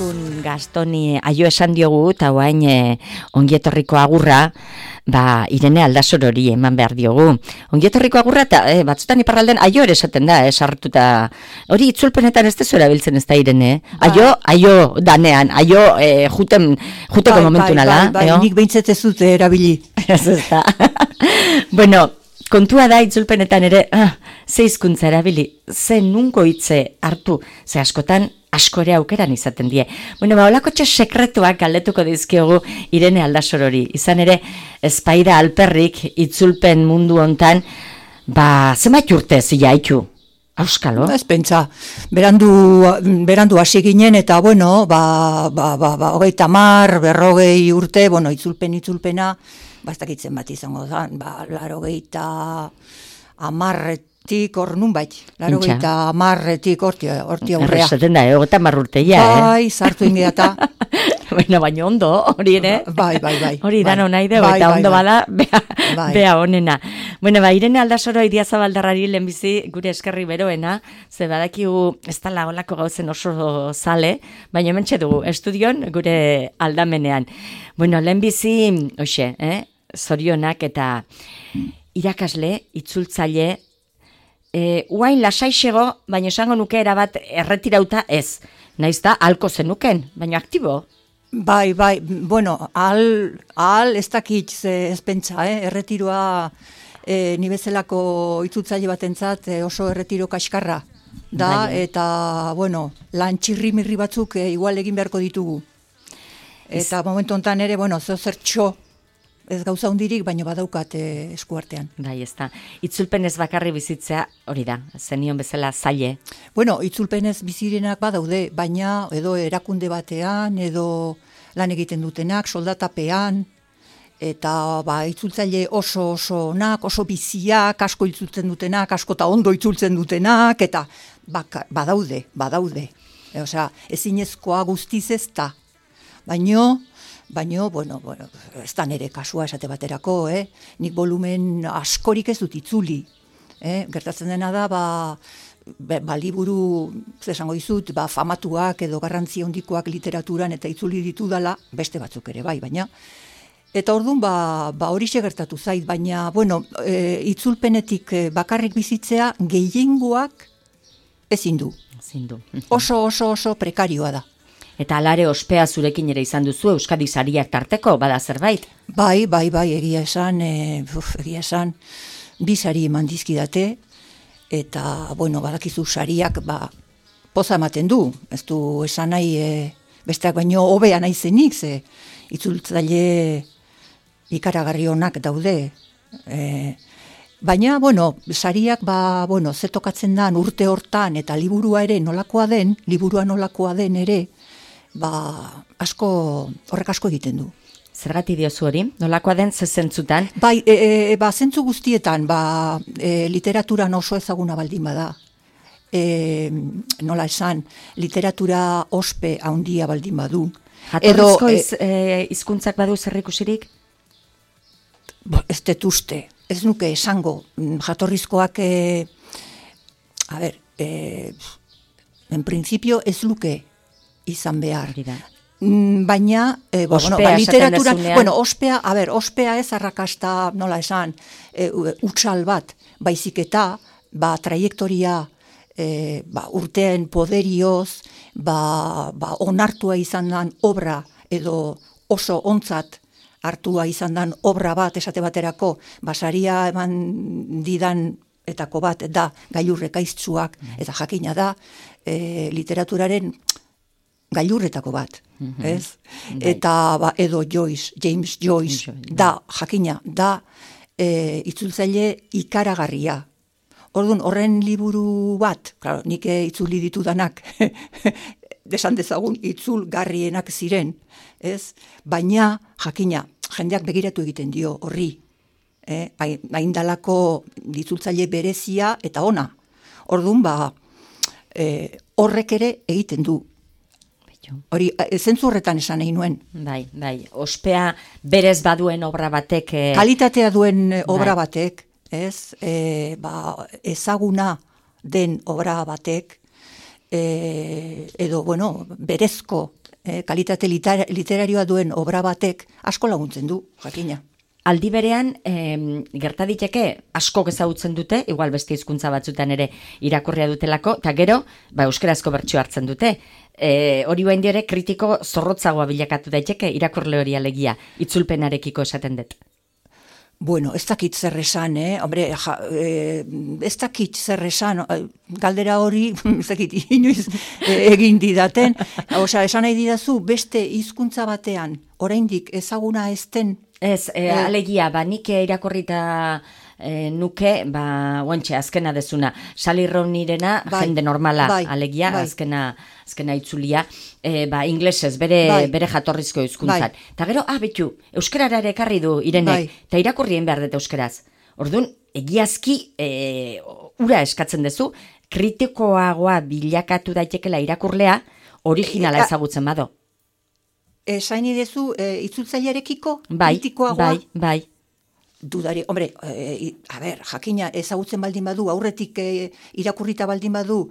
Entzun Gastoni aio esan diogu, eta guain ongietorriko agurra, Irene Aldasorori eman behar diogu. Ongietorriko agurra, eta batzutan iparralden aio ere esaten da, sartuta. Hori itzulpenetan ez dezu erabiltzen ez da, Irene? Aio danean, aio juteko momentu nala. Nik behintzet ez dute erabili. Ez da. Bueno, kontua da itzulpenetan ere, ze hizkuntza erabili, ze nunko hitze hartu, ze askotan asko ere aukeran izaten die. Bueno, holakotxe sekretuak galdetuko dizkiogu Irene Aldasorori. Izan ere, ezpaida alperrik itzulpen mundu hontan, zenbat urte zilaitu? Auskalo? Ez pentsa, berandu hasi ginen, eta bueno, 30, 40 urte, bueno, itzulpena, bastakitzen bat izango da, 80 hor nun bait, 80 horti aurrea. Errezaten da, 80 urteia, Bai, zartu ingeata. Baina ondo, hori ere? Bai. Hori dano nahi dugu, eta ondo bada, bea honena. Bueno, Irene Aldasoro Idiazabaldarrari lehenbizi gure eskerri beroena, ze badakigu ez dala olako gauzen oso zale, baina hementxe dugu, estudion gure aldamenean. Bueno, lehenbizi, zorionak eta irakasle, itzultzaile, uain lasaixego, baina esango nuke erabat erretirauta ez. Naiz da, halko zenuken, baina aktibo. Bai, bueno, ahal ez dakit ez pentsa, erretiroa ni bezalako itzultzaile batentzat oso erretiro kaskarra da, eta, bueno, lan txirrimirri batzuk igual egin beharko ditugu. Eta momentu honetan ere, bueno, zertxo, ez gauza hundirik, baina badaukat eskuartean. Bai, ez da. Itzulpenez bakarri bizitzea, hori da, zenion bezala zaile. Bueno, itzulpenez bizirenak badaude, baina edo erakunde batean, edo lan egiten dutenak, soldatapean, eta itzultzaile oso onak, oso biziak, asko itzultzen dutenak, asko eta ondo itzultzen dutenak, eta badaude. Osea, ezinezkoa guztiz ez da. Baina, bueno, ez da nire kasua esate baterako, nik volumen askorik ez dut itzuli. Gertatzen dena da, liburu, zesango dizut, famatuak edo garrantzi handikoak literaturan eta itzuli ditudala, beste batzuk ere baina. Eta orduan, horixe gertatu zait, baina, bueno, itzulpenetik bakarrik bizitzea gehiengoak ezin du. Oso prekarioa da. Eta alare ospea zurekin ere izan duzu Euskadi sariak tarteko, bada zerbait? Bai, egia esan, 2 sari eman dizkidate, eta, bueno, badakizu sariak, poza ematen du, ez du esan nahi, besteak baino hobea nahi zenik, ze itzultzaile ikaragarri onak daude. Baina, bueno, sariak, ze tokatzen dan urte hortan, eta liburua nolakoa den ere, horrek asko egiten du. Zergati diozu hori? Nolakoa den zentzutan? Bai, zentzu guztietan, literaturan oso ezaguna baldin bada. Nola esan, literatura ospe handia baldin badu. Jatorrizko hizkuntzak badu zerrikusirik? Ez dut uste. Ez nuke esango. Jatorrizkoak, en principio ez luke izan behar. Baina, literaturan, ospea ez arrakasta, nola esan, utsal bat, baizik eta, traiektoria, urteen poderioz, onartua izan dan obra, edo oso ontzat hartua izan dan obra bat, esate baterako, saria eman didan etako bat, da gailurrekaiztzuak, eta jakina da, literaturaren gailurretako bat, ez? Eta edo James Joyce, da, jakina, da itzultzaile ikaragarria. Orduan, horren liburu bat, nik itzuli ditudanak, desan dezagun itzulgarrienak ziren, ez? Baina, jakina, jendeak begiratu egiten dio horri, haindalako itzultzaile berezia eta ona. Orduan, horrek ere egiten du. Hori, zentzu horretan esan nahi nuen. Bai, ospea berez baduen obra batek... Kalitatea duen obra batek, ez, ezaguna den obra batek, edo, bueno, berezko kalitate literarioa duen obra batek asko laguntzen du, jakina. Aldi berean, gerta diteke asko ezagutzen dute, igual beste hizkuntza batzutan ere irakurria dutelako, eta gero, euskarazko bertsio hartzen dute. Hori bain ere kritiko zorrotzagoa bilakatu daiteke, irakurle hori alegia, itzulpenarekiko esaten dut. Bueno, ez dakit zer esan, Hombre, ez dakit zer esan, galdera hori, ez dakit, inoiz egin didaten. Osea, esan nahi didazu, beste hizkuntza batean, oraindik ezaguna ezten. Ez, alegia, nik irakurrita nuke, oantxe, azkena dezuna, Sally Rooney-rena, jende normala, alegia, azkena itzulia, inglesez, bere jatorrizko hizkuntzan. Eta gero, betu, euskarara ere ekarri du Irenek, eta irakurrien behar dut euskaraz. Orduan, egiazki, ura eskatzen dezu, kritikoagoa bilakatu daitekela irakurlea, originala ezagutzen bado. Esaini dezu, itzultzailearekiko, kritikoagoa? Bai. Dudari, hombre, jakina ezagutzen baldin badu, aurretik irakurrita baldin badu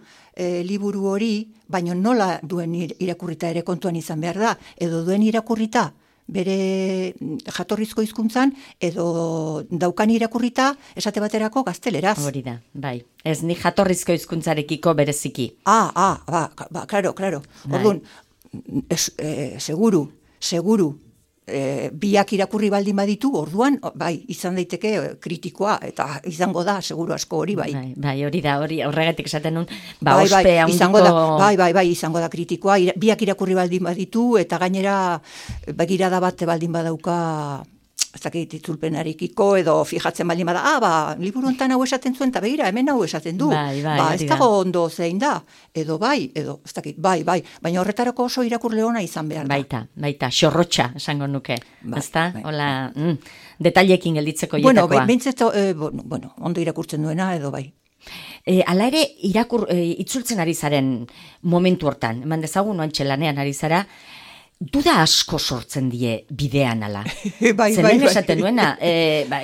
liburu hori, baino nola duen irakurrita ere kontuan izan behar da, edo duen irakurrita bere jatorrizko hizkuntzan, edo daukan irakurrita esate baterako gazteleraz. Hori da, bai. Ez ni jatorrizko hizkuntzarekiko bereziki. Claro. Orduan, seguru, biak irakurri baldin baditu, orduan, izan daiteke kritikoa, eta izango da, seguru asko hori, bai. Bai, hori da, horregatik esaten nun, ospe handiko... Bai, izango da kritikoa, biak irakurri baldin baditu, eta gainera, begirada bat baldin badauka, ez dakit itzulpenarekiko, edo fijatzen baldin bada, liburu hontan hau esaten zuen, eta begira, hemen hau esaten du. Ez dago ondo zein da, edo ez dakit, bai, baina horretarako oso irakurle ona izan behar da. Baita, xorrotxa, esango nuke, ezta? Hola, detailekin gelditzeko ietakoa. Ondo irakurtzen duena, edo bai. Hala ere, itzultzen ari zaren momentu hortan, eman dezagun oantxe lanean ari zara, duda asko sortzen die bidean ala. Zeren esaten duena,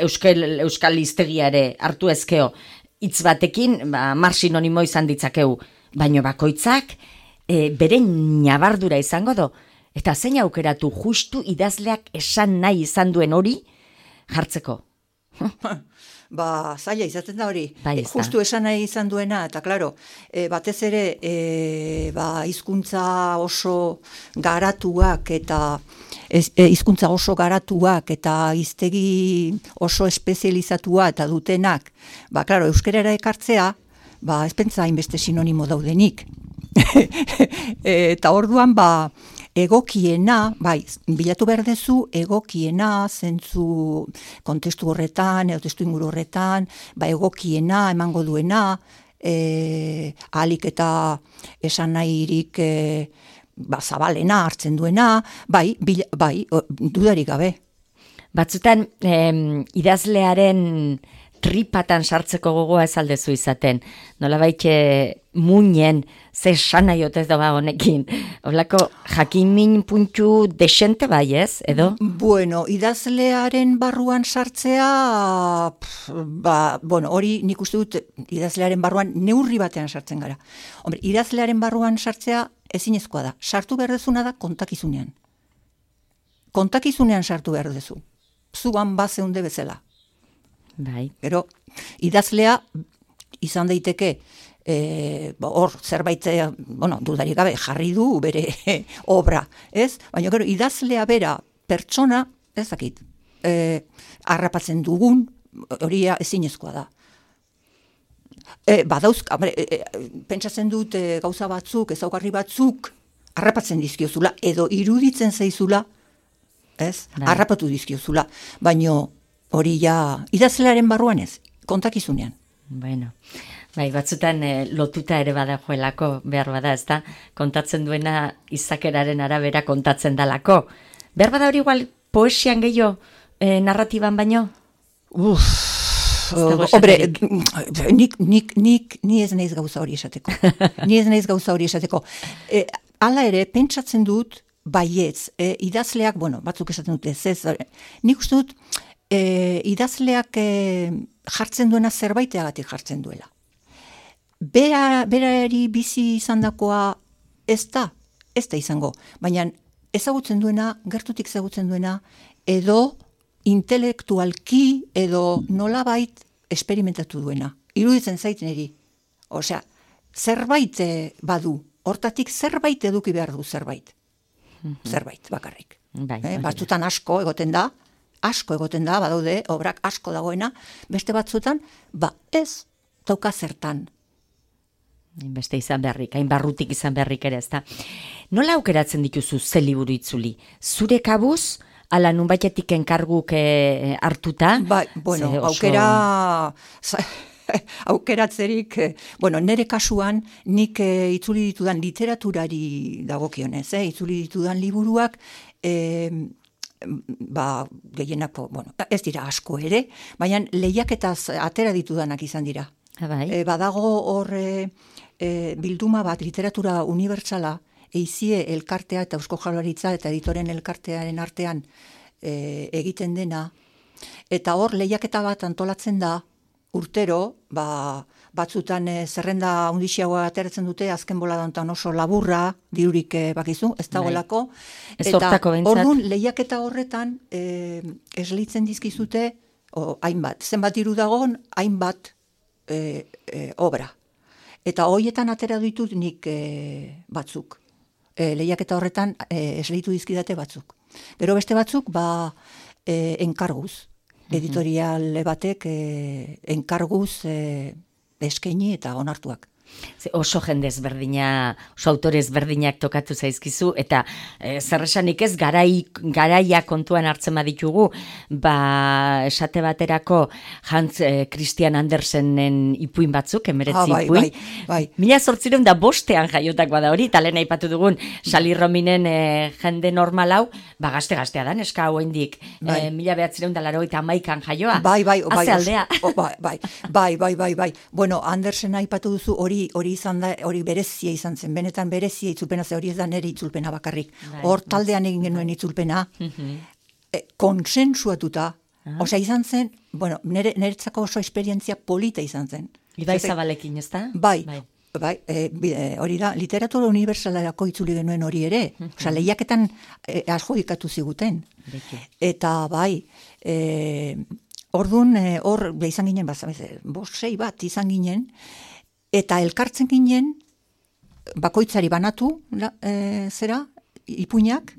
euskal hiztegiare hartu ezkeo, hitz batekin, mar sinonimo izan ditzakeu, baino bakoitzak, bere nabardura izango do, eta zein aukeratu justu idazleak esan nahi izan duen hori jartzeko. Zaila izaten da hori, justu esan nahi izan duena, eta klaro, batez ere, hizkuntza oso garatuak eta hiztegi oso espezializatua eta dutenak, klaro, euskerara ekartzea, ez pentsa hainbeste sinonimo daudenik. Eta orduan, egokiena, bilatu behar dezu, egokiena, zentzu kontestu horretan, edo testu inguru horretan, egokiena, emango duena, ahalik eta esan nahirik zabalena hartzen duena, dudarik gabe. Batzutan, idazlearen tripatan sartzeko gogoa ez aldezu izaten. Nolabait muinen ze sana jotez da honekin. Olako jakinmin puntu desente bai ez, edo? Bueno, idazlearen barruan sartzea, hori nik uste dut idazlearen barruan neurri batean sartzen gara. Hombre, idazlearen barruan sartzea ezinezkoa da. Sartu behar dezuna da kontakizunean. Kontakizunean sartu behar dezu. Zuan bazeunde bezala. Bai. Gero, idazlea izan daiteke hor zerbait, dudarik gabe, jarri du bere obra, ez? Baina gero, idazlea bera pertsona, ez dakit, harrapatzen dugun, hori ezinezkoa da. Pentsatzen dut gauza batzuk, ezaugarri batzuk, harrapatzen dizkiozula, edo iruditzen zaizula, ez? Harrapatu dizkiozula, baina hori idazlearen barruan ez, kontakizunean. Bueno, batzutan lotuta ere badajoelako, behar bada, ez da, kontatzen duena izakeraren arabera kontatzen dalako. Behar bada hori igual poesian gehiago narratiban baino? Hombre, ni ez naiz gauza hori esateko. Hala ere, pentsatzen dut, baietz, idazleak, batzuk esaten dute, nik uste dut, idazleak jartzen duena zerbaiteagatik jartzen duela. Berari bizi izandakoa ez ez da izango. Baina ezagutzen duena, gertutik ezagutzen duena, edo intelektualki, edo nolabait esperimentatu duena. Iruditzen zait niri. Osea, zerbait badu, hortatik zerbait eduki behar du zerbait. Zerbait, bakarrik. Batzutan asko egoten da, badaude, obrak asko dagoena, beste batzutan, ez dauka zertan. Beste izan beharrik, hain barrutik izan beharrik ere, ezta. Nola aukeratzen dituzu ze liburu itzuli? Zure kabuz, ala nunbaitetik enkarguk hartuta? Aukeratzerik, nire kasuan, nik itzuli ditudan literaturari dagokionez, itzuli ditudan liburuak, gehienako, ez dira asko ere, baina lehiaketaz atera ditudanak izan dira. Badago hor bilduma bat, literatura unibertsala, eizie elkartea eta Eusko Jaurlaritza eta editoren elkartearen artean egiten dena, eta hor lehiaketa bat antolatzen da, urtero, batzutan zerrenda hundixiagoa ateratzen dute, azken boladantan oso laburra, dirurik bakizu, ez dagoelako. Eta orduan lehiaketa horretan esleitzen dizkizute, hainbat, zenbat diru dagoen, hainbat obra. Eta hoietan atera ditut nik batzuk. Lehiaketa horretan esleitu dizkidate batzuk. Gero beste batzuk, enkarguz. Editorial batek enkarguz eskaini eta onartuak. Oso jende ezberdina, oso autore ezberdinak tokatu zaizkizu, eta zerresanik ez garaia kontuan hartzen baditugu, esate baterako Hans Christian Andersenen ipuin batzuk, 19 ipuin. Bai. 1805 jaiotak bada hori, eta lehen aipatu dugun Sally Rooneynen jende normal hau, gazte-gaztea da, neska hauendik, 1981an jaioa. Haze aldea. Bai. Bueno, Andersen aipatu duzu hori izan da, hori berezia izan zen, benetan berezia itzulpena, hori ez da nire itzulpena bakarrik. Hor taldean egin genuen itzulpena, konsensuatuta, osea izan zen, niretzako oso esperientzia polita izan zen. Ibai Zabalekin, ez da? Bai, hori da, literatura unibertsalerako itzuli genuen hori ere, osea lehiaketan adjudikatu ziguten. Eta orduan, hor izan ginen, 5-6 bat izan ginen, eta elkartzen ginen, bakoitzari banatu, ipuinak,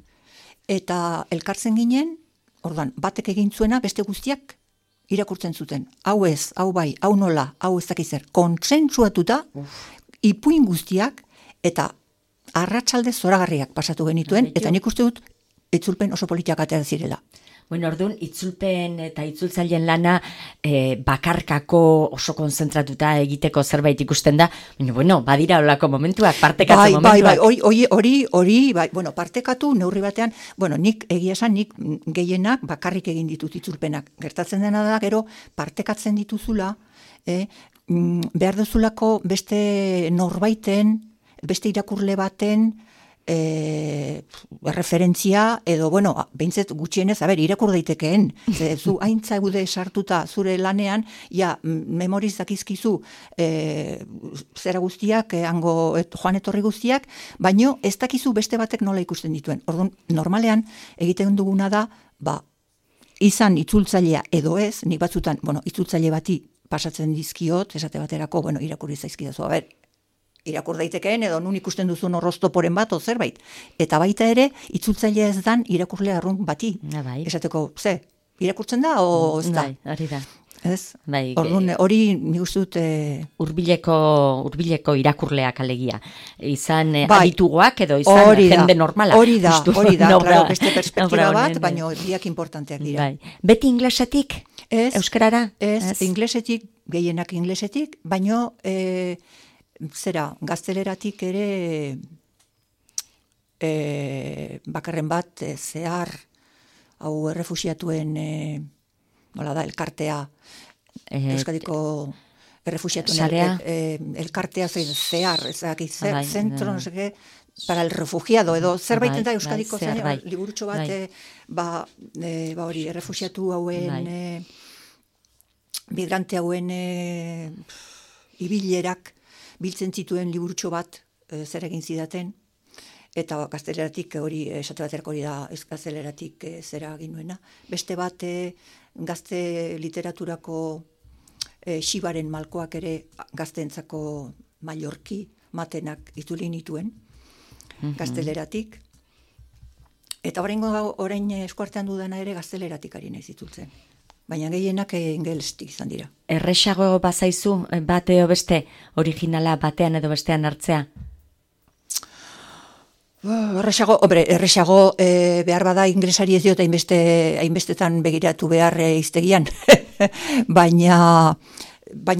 eta elkartzen ginen, orduan, batek egin zuena, beste guztiak irakurtzen zuten. Hau ez, hau bai, hau nola, hau ez dakizer. Kontsentsuatuta, ipuin guztiak, eta arratsalde zoragarriak pasatu genituen, eta nik uste dut, itzulpen oso politiak atera zirela. Bueno, orduan, itzulpen eta itzultzaileen lana bakarkako oso konzentratuta egiteko zerbait ikusten da, baina, badira olako momentuak, partekatze momentuak. Hori, partekatu, neurri batean, nik egia esan, nik gehienak bakarrik egin ditut itzulpenak. Gertatzen dena da, gero, partekatzen dituzula, behar duzulako beste norbaiten, beste irakurle baten, referentzia, edo, behintzet gutxienez, irakur daitekeen, zu haintza gude sartuta zure lanean, memoriz dakizkizu zera guztiak, joan etorri guztiak, baino ez dakizu beste batek nola ikusten dituen. Orduan, normalean, egiten duguna da, izan itzultzailea edo ez, nik batzutan, itzultzaile bati pasatzen dizkiot, esate baterako, irakurri zaizkidazu, irakur daitekeen edo nun ikusten duzun horroztoporen bat, zerbait. Eta baita ere, itzultzailea ez dan irakurle arrun bati. Esateko, irakurtzen da, o ez da? Hori da. Ez? Hori nik uste dut... Hurbileko irakurleak alegia. Izan adituguak edo izan jende normala. Hori da, claro, beste perspektiba bat, baina biak importanteak dira. Beti inglesetik? Euskarara? Ez, inglesetik, gehienak inglesetik, baina... gazteleratik ere bakarren bat zehar hau errefuxiatuen elkartea Euskadiko errefuxiatuen elkartea zehar zentro, no sé qué, para el refugiado, edo zerbait da Euskadiko liburutxo bat hori errefuxiatu hauen migrante hauen ibilerak biltzen zituen liburutxo bat zer egin zidaten, eta gazteleratik hori, esate baterako hori da, ez gazteleratik zera ginuena. Beste bat, gazte literaturako Xibaren malkoak ere gazteentzako Mallorki matenak itzuli nituen, gazteleratik. Eta orain eskuartean dudana ere gazteleratik ari naiz itzultzen. Baina gehienak ingelestik izan dira. Erresago bazaizu, bate edo beste, originala batean edo bestean hartzea? Erresago behar bada inglesari ez diot hainbestetan begiratu behar iztegian. Baina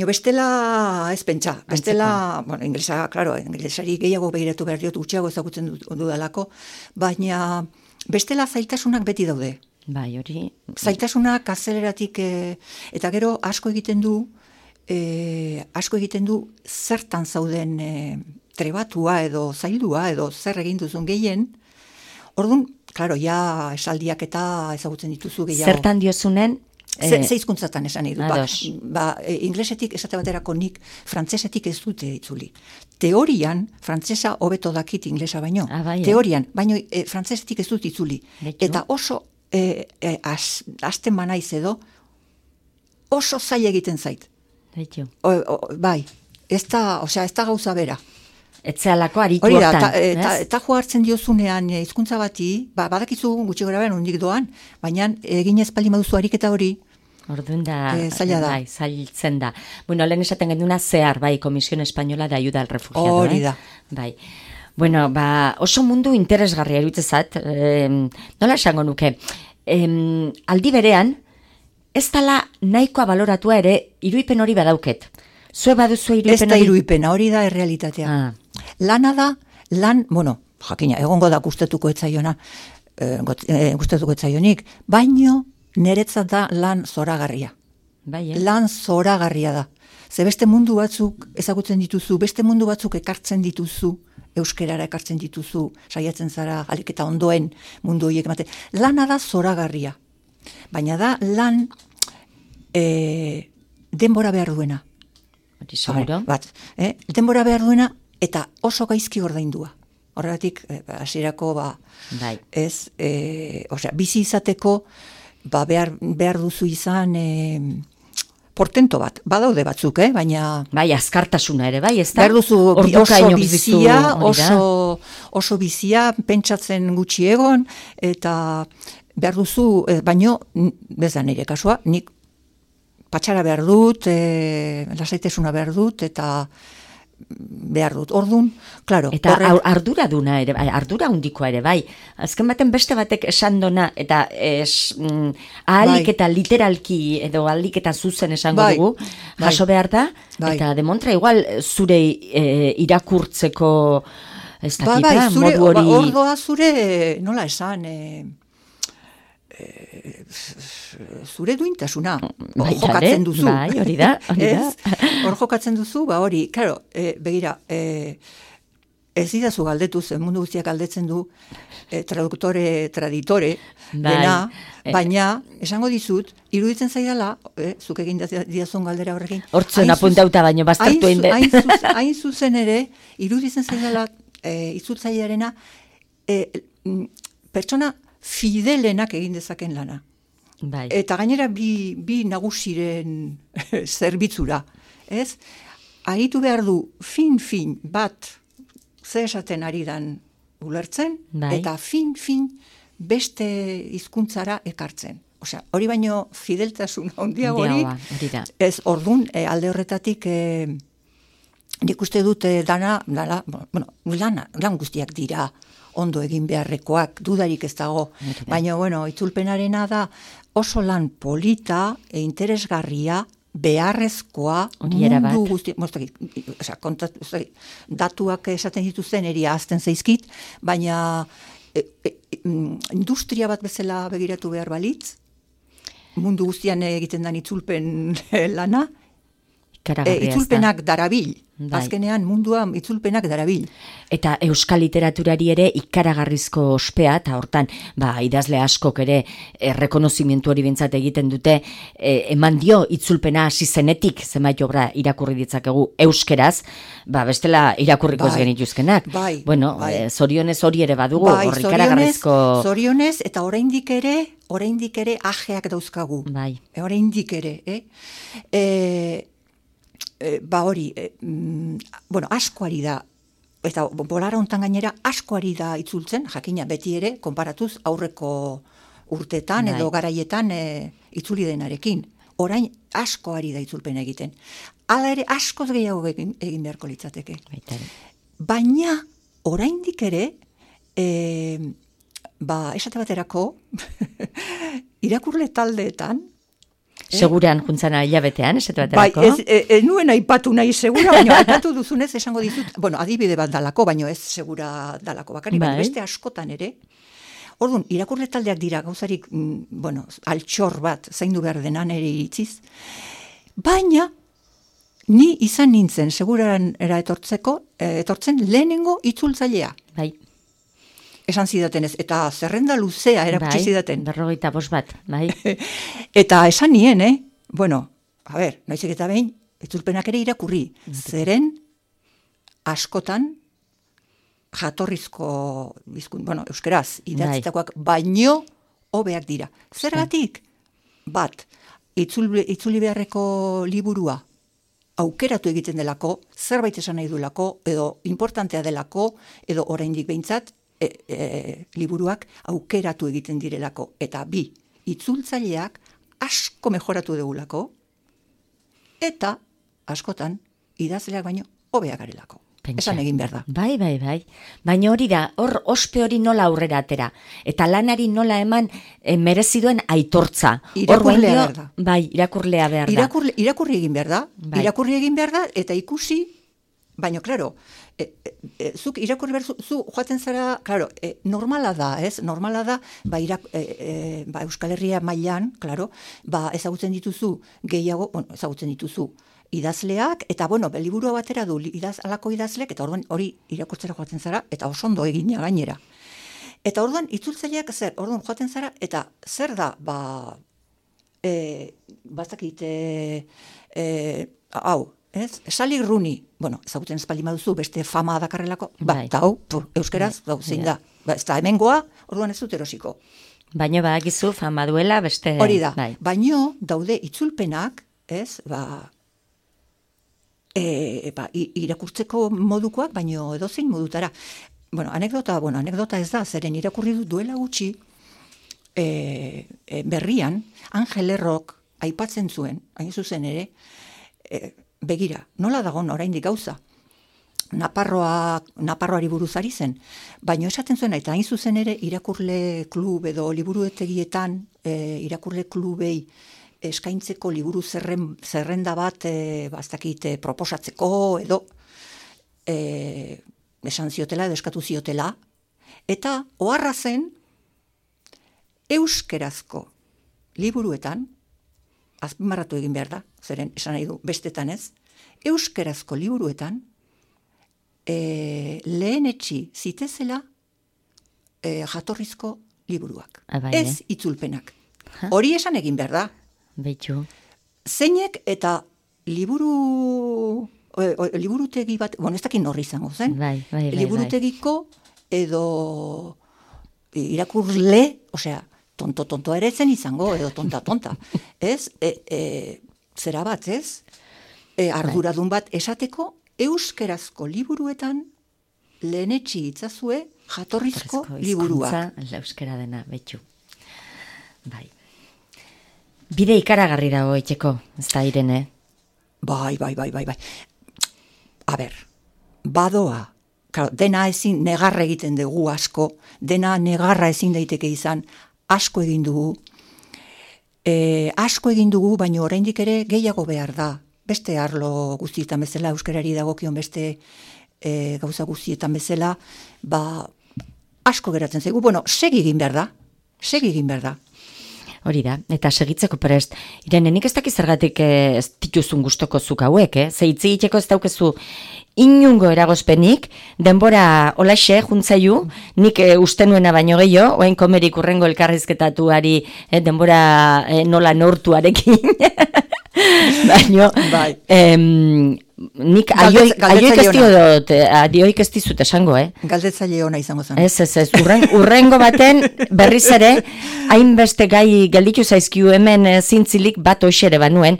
bestela ez pentsa. Bestela, inglesa, klaro, inglesari gehiago begiratu behar diot, gutxiago ezagutzen dudalako, baina bestela zailtasunak beti daude. Bai, hori. Zailtasunak azeleratik, eta gero asko egiten du zertan zauden trebatua edo zaildua edo zer egin duzun gehien. Orduan, klaro, ja esaldiak eta ezagutzen dituzu gehiago. Zertan diozunen? Zeizkuntzatan esan nahi dut. Inglesetik esate baterako nik frantzesetik ez dute itzuli. Teorian, frantzesa hobeto dakit inglesa baino. Teorian, baino frantzesetik ez dut itzuli. Eta oso azten banaiz edo, oso zaila egiten zait. Bai, ez da gauza bera. Etzealako aritu hortan. Eta jo hartzen diozunean hizkuntza bati, badakizu gutxi gora behar hondik doan, baina egin ezpaldi maduzu ariketa hori, orduan da, zaila da. Bai, zailtzen da. Bueno, lehen esaten genduna zehar, bai, Komisión Española de Ayuda al Refugiado. Hori da. Bai. Bueno, oso mundu interesgarria erutzezat, nola esango nuke, aldi berean, ez dala nahikoa baloratua ere, iruipen hori badauket. Zue baduzu iruipen hori? Ez da iruipena, hori da errealitatea. Lana da, jakina, egongo da gustatuko etzaionik, baino niretzat da lan zoragarria. Lan zoragarria da. Ze beste mundu batzuk ezagutzen dituzu, beste mundu batzuk ekartzen dituzu, euskerara ekartzen dituzu, saiatzen zara, alik eta ondoen mundu horiek emate. Lana da zoragarria. Baina da lan denbora behar duena. Denbora behar duena eta oso gaizki ordaindua. Horregatik, hasierako bizi izateko behar duzu izan portento bat. Badaude batzuk, baina... Bai, azkartasuna ere, bai, ez da? Behar duzu oso bizia, pentsatzen gutxi egon, eta behar duzu, baino, bez da nire kasua, nik patxara behar dut, lasaitesuna behar dut, eta behar dut. Orduan, klaro. Eta ardura duna ere, ardura hundikoa ere, bai. Azken baten beste batek esan dona, eta ahalik eta literalki, edo ahalik eta zuzen esango dugu, jaso behar da, eta demontra igual zure irakurtzeko ez dakita, modu hori... Ordoa zure, nola esan... zure duintasuna hor jokatzen duzu. Bai, hori da. Hor jokatzen duzu, hori, claro, begira, ez didazu galdetu, mundu guztiak galdetzen du, traditore, dena, baina, esango dizut, iruditzen zaidala, zuk egin didazun galdera horrekin. Hortzen apuntauta baino, bastartu egin dut. Hain zuzen ere, iruditzen zaidala, itzultzailearena, pertsona fidelenak egin dezaken lana. Bai. Eta gainera bi nagusiren zerbitzura. Ez? Agitu behar du fin bat ze esaten ari dan ulertzen, eta fin beste hizkuntzara ekartzen. Osea, hori baino fideltasun handiagorik. Ez, ordun alde horretatik nik uste dut lan guztiak dira ondo egin beharrekoak, dudarik ez dago. Baina, itzulpenarena da oso lan polita e interesgarria, beharrezkoa, mundu guzti... Datuak esaten dituzten eria azten zaizkit, baina industria bat bezala begiratu behar balitz, mundu guztian egiten den itzulpen lana, itzulpenak darabil. Azkenean mundua itzulpenak darabil. Eta euskal literaturari ere ikaragarrizko ospea, eta hortan, idazle askok ere errekonozimentu hori bintzat egiten dute, eman dio itzulpena hasi zenetik, zenbait obra irakurri ditzakegu euskeraz, bestela irakurriko ez genituzkenak. Bueno, zorionez hori ere badugu, hor ikaragarrizko... Zorionez, eta oraindik ere ajeak dauzkagu. Oraindik ere, hori, askoari da, eta bolara hontan gainera askoari da itzultzen, jakina beti ere, konparatuz aurreko urtetan edo garaietan itzuli denarekin. Orain askoari da itzulpena egiten. Hala ere askoz gehiago egin beharko litzateke. Baina oraindik ere, esate baterako, irakurle taldeetan, seguran juntzana hilabetean, esatu baterako? Nuen aipatu nahi segura, baina aipatu duzunez esango dizut, adibide bat dalako, baina ez segura dalako bakari, baina beste askotan ere. Orduan, irakurle taldeak dira gauzarik, altxor bat zaindu behar denan ere iritziz, baina ni izan nintzen seguran etortzen lehenengo itzultzailea. Esan zidaten ez, eta zerrenda luzea erakutsi zidaten. 45 bat, Eta esan nien, noizek eta behin, itzulpenak ere irakurri. Zeren, askotan, jatorrizko, euskeraz, idatzitakoak, baino hobeak dira. Zergatik? Bat, itzuli beharreko liburua, aukeratu egiten delako, zerbait esan nahi duelako, edo importantea delako, edo oraindik behintzat, liburuak aukeratu egiten direlako. Eta bi, itzultzaileak asko mejoratu degulako, eta askotan idazleak baino hobeak garelako. Esan egin behar da. Bai. Baina hori da, hor ospe hori nola aurrera atera. Eta lanari nola eman mereziduen aitortza. Irakurlea behar da. Irakurlea behar da. Irakurri egin behar da. Irakurri egin behar da, eta ikusi, baina, klaro, zuk irakurri behar, zu joaten zara, klaro, normala da, ez? Normala da, Euskal Herria mailan, klaro, ezagutzen dituzu gehiago, ezagutzen dituzu idazleak, eta, liburua batera du alako idazleak, eta orduan hori irakurtzera joaten zara, eta oso ondo egina gainera. Eta orduan, itzultzaileak zer, orduan joaten zara, eta zer da, bazakit, ez? Sally Rooney, ezagutzen espaldi maduzu, beste fama dakarrelako, eta euskeraz, zein da, ez da hemengoa, orduan ez dut erosiko. Baina badakizu fama duela, beste... Hori da, baina daude itzulpenak, ez, irakurtzeko modukoak, baina edozein modutara. Anekdota ez da, zeren irakurri dut duela gutxi, berrian, Angel Errok aipatzen zuen, hain zuzen ere, begira, nola dagoen oraindik gauza? Naparroari buruz ari zen, baina esaten zuen, eta hain zuzen ere irakurle klub edo liburuetegietan, irakurle klubei eskaintzeko liburu zerrenda bat, proposatzeko edo esan ziotela edo eskatu ziotela, eta oharra zen euskerazko liburuetan, azpimarratu egin behar da, zeren esan nahi du bestetan ez, euskerazko liburuetan lehenetsi zitezela jatorrizko liburuak. Ez itzulpenak. Hori esan egin behar da. Beitu. Zeinek eta liburutegi bat, ez dakit norri izango zen, liburutegiko edo irakurle, tonto ere zen izango, edo tonta. Ez, zera bat, ez? Arduradun bat esateko, euskerazko liburuetan lehenetsi itzazue jatorrizko liburuak. Euskera dena, betxu. Bai. Bide ikaragarri dago etxeko, ez da Irene? Bai. A ber, badoa. Dena ezin negarra egiten dugu asko, dena negarra ezin daiteke izan, asko egin dugu, baina oraindik ere gehiago behar da. Beste arlo guztietan bezala, euskarari dagokion beste gauza guztietan bezala, asko geratzen zaigu. Segi egin behar da. Hori da, eta segitzeko prest. Irene, nik ez dakiz zergatik ez dituzun gustoko zuk hauek, ze hitz egiteko ez daukezu inungo eragozpenik, denbora olaxe juntzaiu, nik uste nuena baino gehiago, oain komerik urrengo elkarrizketatuari denbora nola nortuarekin, baino, nik adioik ez dizut esango, Galdetzaile ona izango zen. Ez, urrengo baten berriz ere, hainbeste gai gelditu zaizkiu hemen zintzilik bat hoxere banuen,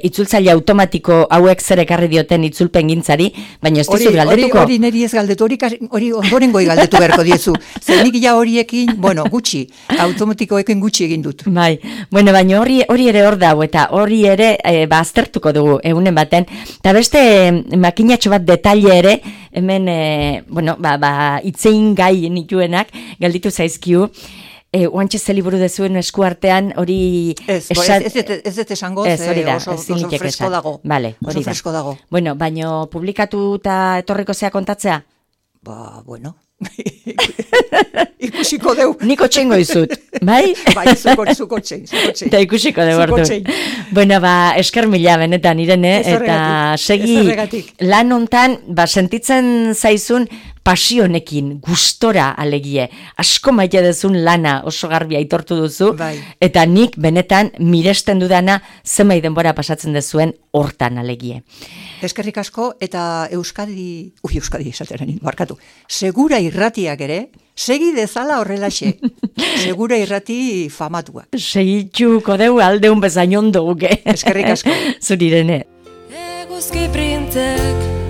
itzultzaile automatiko hauek zer ekarri dioten itzulpen gintzari, baina ez dizut galdetuko. Hori neri ez galdetu, hori ondorengoi galdetu beharko diezu. Zer nik ja horiekin, gutxi, automatikoekin gutxi egin dut. Bai, baina hori ere hor dago, eta hori ere aztertuko dugu egunen baten, eta beste makinatxo bat detalle ere, hemen, itzein gai nituenak, galditu zaizkiu, oantxe ze liburu dezuen eskuartean, hori... Ez dut esango, oso fresko dago. Vale, hori da. Bueno, baino publikatu eta etorriko zea kontatzea? Ikusiko deu. Niko txengo izut, bai? Bai, zuko txen. Eta ikusiko deu ordu. Bueno, esker mila benetan, Irene, eta segi lan hontan, sentitzen zaizun pasionekin, gustora alegie. Asko maite dezun lana oso garbi aitortu duzu, eta nik benetan miresten dudana zenbait denbora pasatzen dezuen hortan alegie. Eskerrik asko, eta Euskadi esateran, barkatu, Segura Irratiak ere, segi dezala horrelaxe. Segura Irrati famatuak. Segitxuko deu aldeun bezain ondo guke. Eskerrik asko. Zurirene. Eguzki printzek